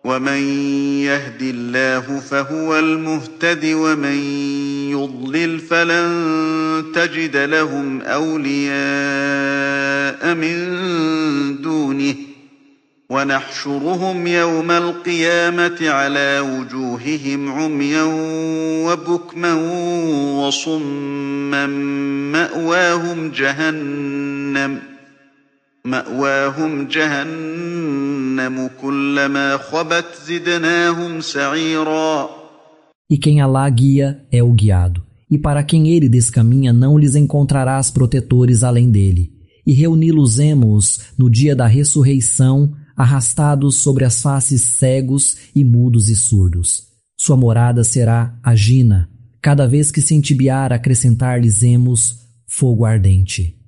ومن يهد الله فهو المهتد ومن يضلل فلن تجد لهم أولياء من دونه ونحشرهم يوم القيامة على وجوههم عميا وبكما وصما مأواهم جهنم كلما خبت زدناهم سعيرا. E quem Alá guia é o guiado, e para quem ele descaminha não lhes encontrarás protetores além dele. E reuni-los-emos no dia da ressurreição, arrastados sobre as faces cegos e mudos e surdos. Sua morada será a Jina. Cada vez que se entibiar, acrescentar-lhes-emos fogo ardente.